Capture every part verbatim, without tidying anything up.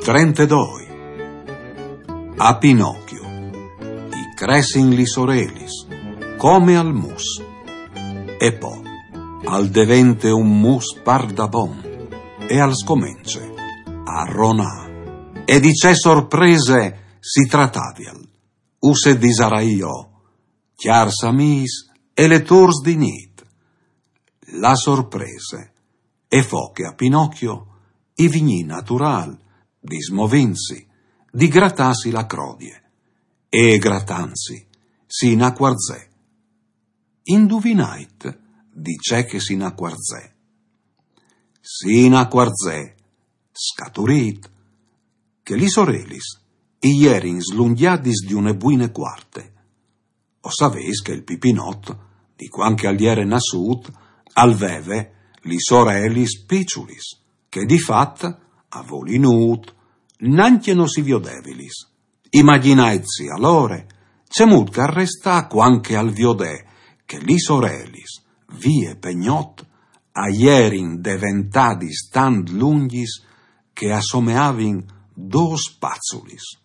Trentedoi. A Pinocchio i cressin lis orelis, come al mus. E po al devente un mus pardabon, e al scomence a ronâ. E di ce sorprese si tratavial? Us e disarai jo, cjârs amîs e letôrs di nît. La sorprese e fo che a Pinocchio i vignì naturâl di smovînsi, di gratâsi la crodie, e gratantsi si inacuarzè. Induvinait di ce che si inacuarzè. Si inacuarzè, scaturît, che lis orelis i jerin slungjadis di une buine cuarte. O savês che il Pipinot, di cuant che al jere nassût, al veve lis orelis piçulis, che di fat, a voli nût, nancje no si viodevilis. Imagjinaitsi alore cemût che al restà cuant che al viodè che lis orelis, vie pe gnot, a jerin deventadis tant lungjis che a someavin dôs paçulis.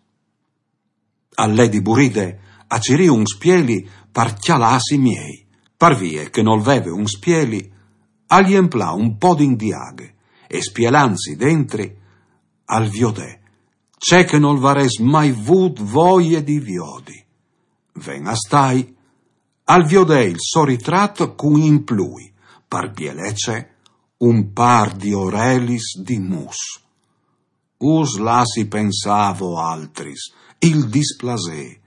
Al lè di buride a cirî un spieli par cjalâsi miei. Par vie che nol veve un spieli, al jemplà un podin di aghe e, spielantsi dentri, al viodè ce che nol varès mai vût voie di viodi. Ven a stâi, al viodè il so ritrat cun in plui, par bielece, un pâr di orelis di mus. Us lassi pensâ a voaltris il displasê,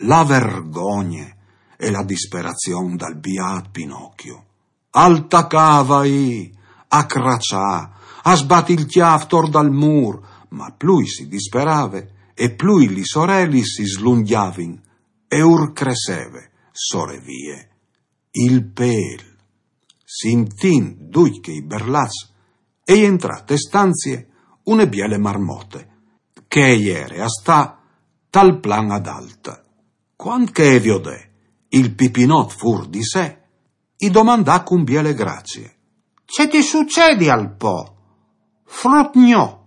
la vergogne e la disperazion dal biât Pinocchio. Al tacà a vaî, a craçâ, a sbati il cjâf tor dal mûr, ma plui si disperave e plui lis orelis si slungjavin e ur cresseve, sorevie, il pêl. Sintint ducj chei berlats, e jentrà te stanzie une biele marmote, che e jere a stâ tal plan adalt. Cuant che e viodè il Pipinot fûr di se, i domandà cun biele gracie: Ce ti sucedial po, frut gno?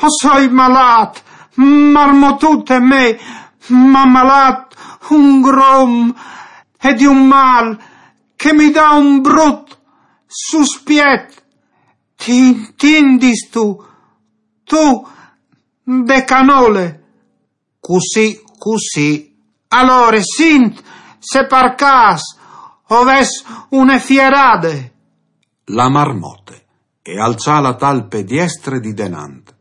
O soi malât, marmotute mê, m'à malât un grum e di un mâl che mi dà un brut suspiet. Ti intindistu, tu, de canole? Cussì, cussì. Alore, sint se par câs o ves une fierade. La marmote e alçà la talpe diestre di denant,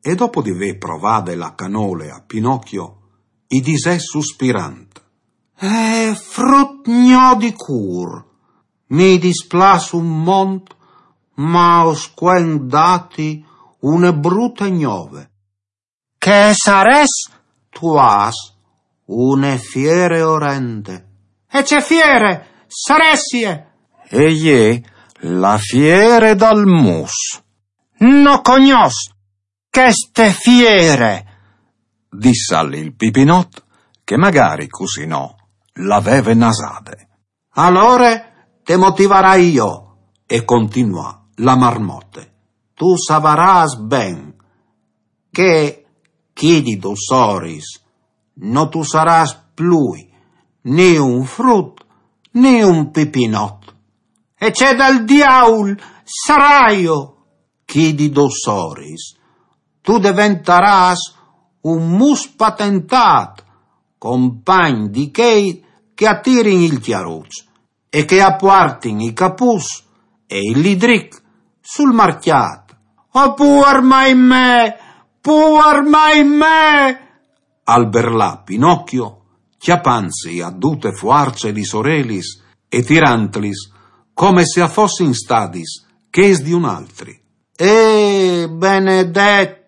e dopo di vê provade la canole a Pinocchio, i disè suspirant: Eh, frut gno di cûr, mi displâs un mont, ma o scuen dâti une brute gnove. Che sarès, tu âs, une fiere orende. E ce fiere saressie? E je la fiere dal mus. No cognòs cheste fiere, dissal il Pipinot, che magari cussì no la veve nasade. Alore te motivarai jo, e continuà la marmote. Tu savarâs ben che chi di dôs oris no tu sarâs plui ni un frut ni un Pipinot. E ce dal diaul saraio? Chi di dôs oris tu deventarâs un mus patentât, compagn di chei che a tirin il cjaruç e che a puartin i capuçs e il lidric sul marcjât. Oh, puar mai me, puar mai me! Al berlà Pinocchio, cjapantsi a dute fuarce lis orelis e tirantlis come se a fossin stadis chês di un altri. Eh, benedet!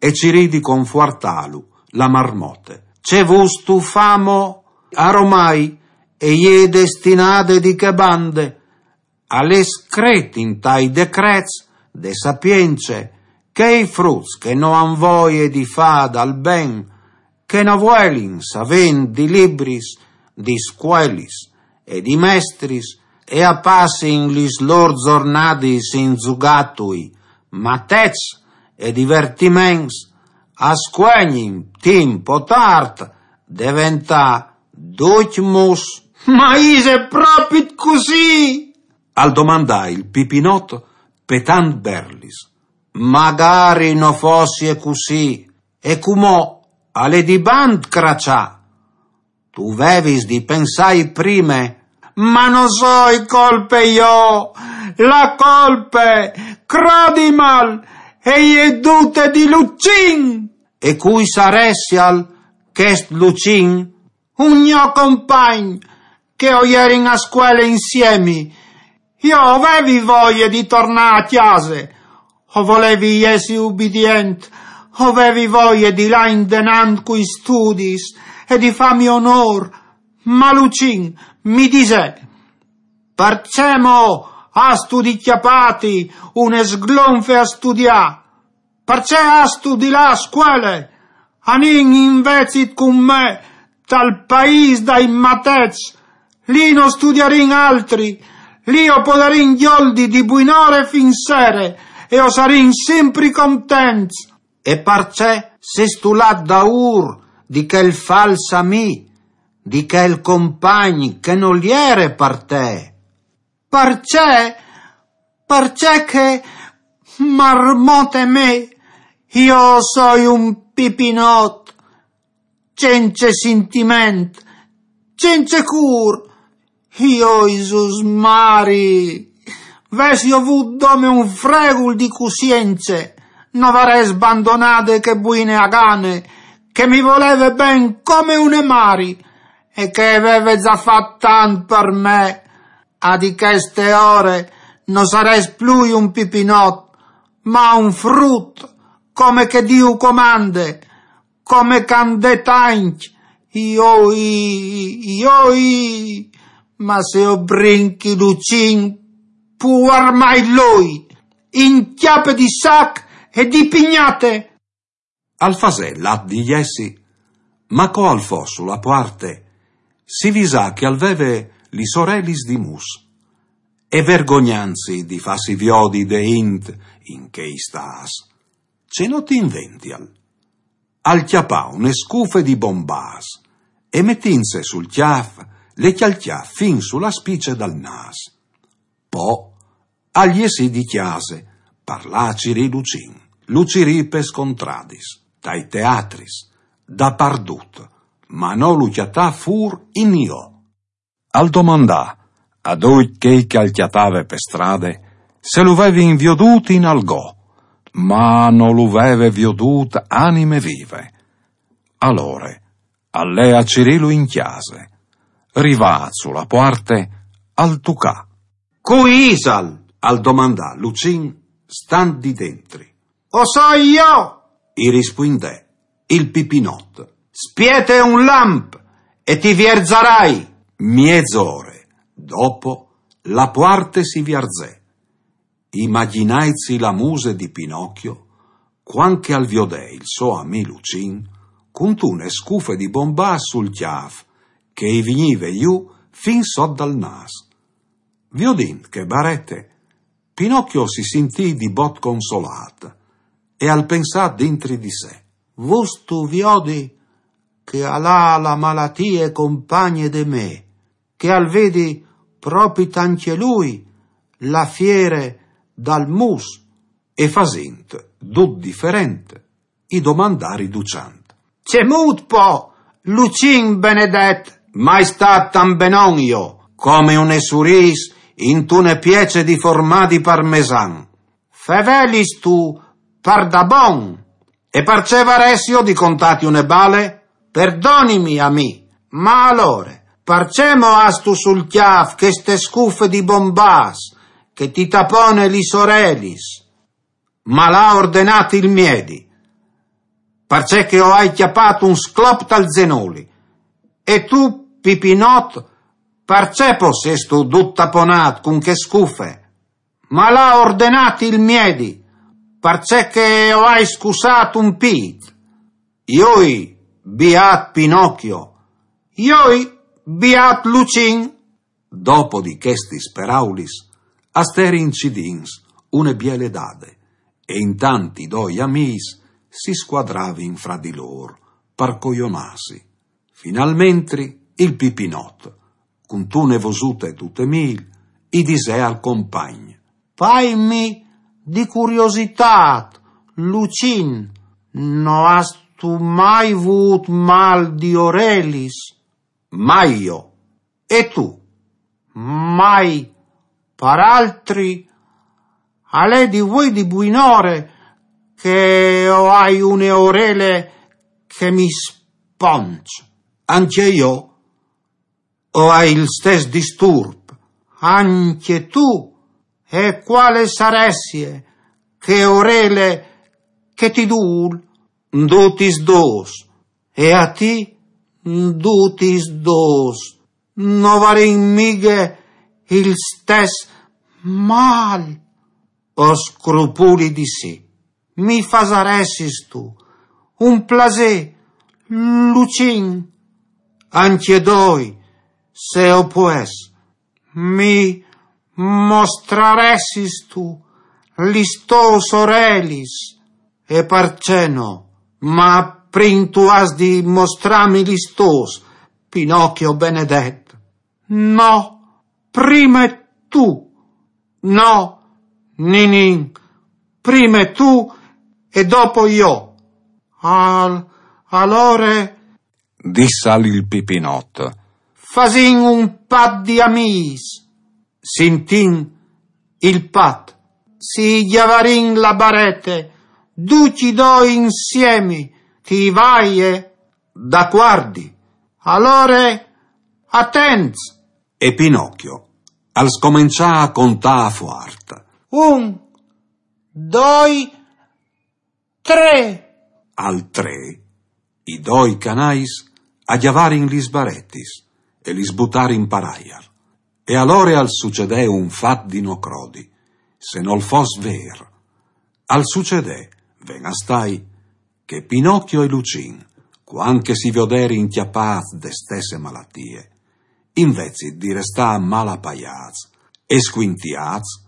E cirì di confuartâlu la marmote. Ce vûstu fâ mo? Aromai e je destinade di chê bande. Al è scret intai decrets de sapience che i fruts che no àn voie di fâ dal ben, che no vuelin savê di libris, di scuelis e di mestris e a passin lis lôr zornadis in zugatui, matets e divertiments, a scuegnin, timp o tart, deventà ducj mus. Ma ise propit cussì? Al domandà il Pipinot, petant berlis. Magari no fossie cussì, e cumò al è di bant craçà. Tu vevis di pensai prime. Ma no soi colpe jo, la colpe, crodimal, e je dute di Lucin. E cui saressial chest Lucin? Un gno compagn, che o jerin a scuele insiemi. Jo o vevi voie di tornà a cjase, o volevi jessi ubidient, o vevi voie di lâ indenant cui studis e di fâmi onôr, ma Lucin mi disè: parcè mo âstu di cjapâti une sglonfe a studiâ? Parcè âstu di lâ a scuele? Anìn invezit cun me tal paîs dai matets. Li no studiarìn altri, li o podarìn gjoldi di buinore fin sere e o sarìn simpri contents. E parcè sêstu lât daûr di chel fals amì, di chel compagn che nol jere par te? Parcè? Parcè che, marmote me, jo o soi un Pipinot, cence sintiment, cence cûr. Jo, Jesù Maria, vessio vût dome un fregul di cussience, no varès bandonade chê buine agane, che mi voleve ben come une mari, e che e veve za fat tant par me. A di cheste ore no sarès plui un Pipinot, ma un frut, come che Diu comande, come che a 'nd è tancj. Joi, joi, ma se o brinchi Lucin, puar mai lui, in cjape di sac e di pignate. Al fasè l'at di jessi, ma co al fo su la puarte, si visà che al veve lis orelis di mus. E vergognantsi di fâsi viodi de int in chei stâts, ce no ti invential, al cjapà une scufe di bombâts e metintse sul cjâf le cjalcjà fin su la spice dal nâs. Po al jessì di cjase, par lâ a cirî Lucin, lu cirì pes contradis, tai teatris, dapardut, ma no lu cjatà fûr inio. Al domandà a ducj chei che al cjatave pe strade se lu vevin viodût in algò, ma no lu veve viodût anime vive. Alore al lè a cirîlu in cjase. Rivât su la puarte, al tucà. Cui isal? Al domandà Lucin, stant di dentri. O soi jo, i rispuindè il Pipinot. Spiete un lamp e ti vierzarai. Miezore dopo, la puarte si vierzè. Imagjinaitsi la muse di Pinocchio, cuant che al viodè il so amì Lucin cuntune scufe di bombâts sul cjâf, che i vignive jù fin sot dal nâs. Viodint chê barete, Pinocchio si sintì di bot consolât e al pensà dintri di se: vustu viodi che al à la malatie compagne de me, che al vedi propit ancje lui la fiere dal mus? E fasint dut diferent, i domandà riduçant: cemût po, Lucin benedet? Mai stât tant benon jo, come une surîs intune piece di formadi parmesan. Fevelistu pardabon? E parcè varessio di contâti une bale? Perdonimi a mi, ma alore, parcè mo âstu sul cjâf cheste scufe di bombâts che ti tapone lis orelis? Mal à ordenât il miedi, parcè che o ai cjapât un sclop tal zenoli. E tu, Pipinot, parcè po sêstu dut taponât cun chê scufe? Mal à ordenât il miedi, parcè che o ai scussât un pît. Joi, biât Pinocchio. Joi, biât Lucin. Dopo di chestis peraulis, a sterin cidints une biele dade, e intant i doi amîs si squadravin fra di lôr, par cojonâsi. Finalmentri il Pipinot, cuntune vosute dute mîl, i disè al compagn: «Paimi di curiositât, Lucin, no âstu mai vût mâl di orelis?» «Mai jo. E tu?» «Mai. Par altri, al è di vuê di buinore che o ai une orele che mi sponç.» «Ancje jo o ai il stes disturp.» «Ancje tu? E cuale saressie chê orele che ti dûl?» «Dutis dôs.» «E a ti?» «Dutis dôs. No varìn mighe il stes mâl?» «O scrupuli di sì.» «Mi fasaressistu un plasê, Lucin?» «Ancje doi, se o pues.» «Mi mostraressistu lis tôs orelis?» «E parcè no? Ma prin tu âs di mostrâmi lis tôs, Pinocchio benedet.» «No, prime tu.» «No, ninin, prime tu e dopo jo.» «Al-, alore», dissal il Pipinot, «fasìn un pat di amîs.» «Sintìn il pat: si gjavarìn la barete ducj i doi insiemi, ti vaie?» «Dacuardi.» «Alore, atents.» E Pinocchio al scomençà a contâ fuart: «Un, doi, trê.» Al trê, i doi canais a gjavarin lis baretis e lis butarin par aiar. E alore al sucedè un fat di no crodi, se nol fos vêr. Al sucedè, ven a stâi, che Pinocchio e Lucin, cuant che si vioderin cjapâts de stesse malatie, invezit di restâ malapaiâts e scuintiâts,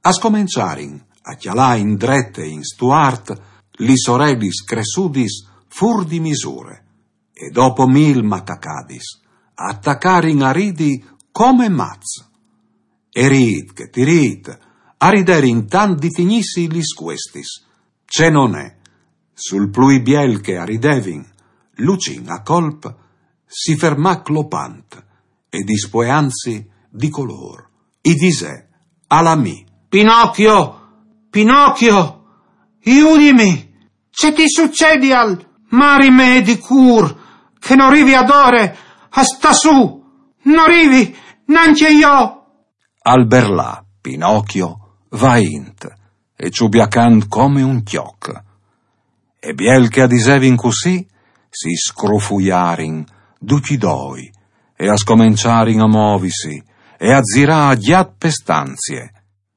a scomençarin a cjalâ indret e in stuart lis orelis cressudis fûr di misure, e dopo mîl macacadis, a tacarin a ridi come mats. E rît che ti rît, a riderin tant di tignîsi lis cuestis. Ce no ne, sul plui biel che a ridevin, Lucin a colp si fermà clopant e dispueantsi di colôr, i disè al amì: «Pinocchio, Pinocchio, judimi! Ce ti sucedial? Marime di cûr, che no rivi adore a stâ sù, no rivi nancje jo!» Al berlà, Pinocchio, vaint e çubiacant come un cjoc. E biel che a disevin cussì, si scrufujarin ducj i doi e a scomençarin a movisi e a zirâ a gjat pe stanzie.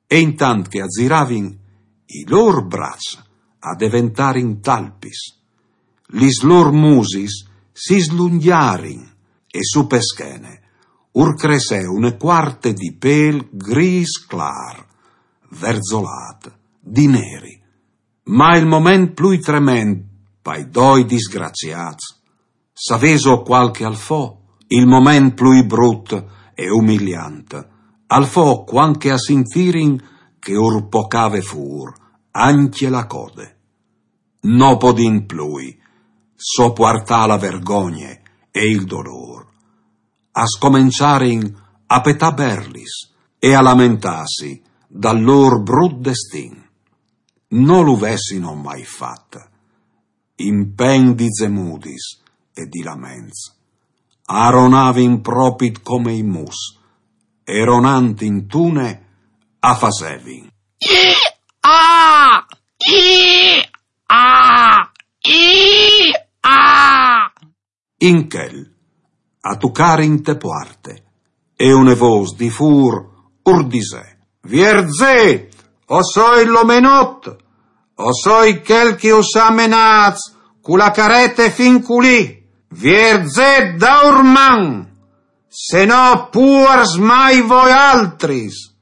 E intant che a ziravin, i lôr braçs a deventarin talpis, lis lôr musis si slungjarin e su pe schene ur cressè une cuarte di pêl grîs clâr, verzolât, di neri. Ma il moment plui trement pai doi disgraciâts, savêso cuâl che al fo? Il moment plui brut e umiliant al fo cuant che a sintirin che ur pocave fûr ancje la code. No podint plui sopuartâ la vergogne e il dolôr, a scomençarin a petâ berlis e a lamentâsi dal lôr brut destin. No lu vessino mai fat, implen di zemudis e di laments. A ronavin propit come i mus, e ronant intune a fasevin: «I-a! I-a! I-a!» In chel a tucarin te puarte, e une vôs di fûr ur disè: «Vierzêt, o soi l'omenot, o soi chel che us à menâts cu la carete fin culì. Vierzêt daûr man, se no puars mai voaltris!»